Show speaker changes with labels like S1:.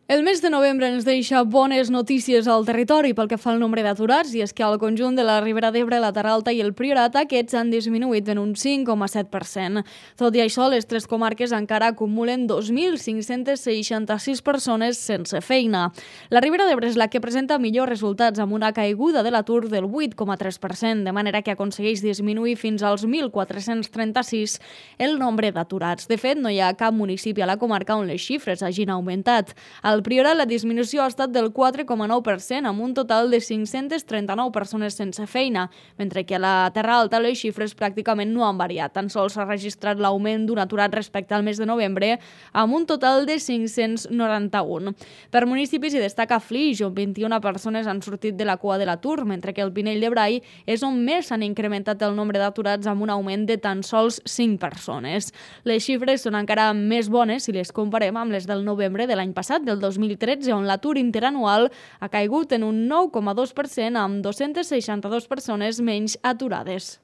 S1: El mes de novembre ens deixa bones notícies al territori pel que fa al nombre d'aturats, i és que al conjunt de la Ribera d'Ebre, la Terra Alta i el Priorat aquests han disminuït en un 5,7%. Tot i això, les tres comarques encara acumulen 2.566 persones sense feina. La Ribera d'Ebre és la que presenta millors resultats, amb una caiguda de l'atur del 8,3%, de manera que aconsegueix disminuir fins als 1.436 el nombre d'aturats. De fet, no hi ha cap municipi a la comarca on les xifres hagin augmentat. Al Priorat, la disminució ha estat del 4,9%, amb un total de 539 persones sense feina, mentre que a la Terra Alta les xifres pràcticament no han variat. Tan sols s'ha registrat l'augment d'un aturat respecte al mes de novembre, amb un total de 591. Per municipis hi destaca Flix, on 21 persones han sortit de la cua de l'atur, mentre que el Pinell de Brai és on més s'han incrementat el nombre d'aturats, amb un augment de tan sols 5 persones. Les xifres són encara més bones si les comparem amb les del novembre de l'any passat, del 2013, on l'atur interanual ha caigut en un 9,2%, amb 262 persones menys aturades.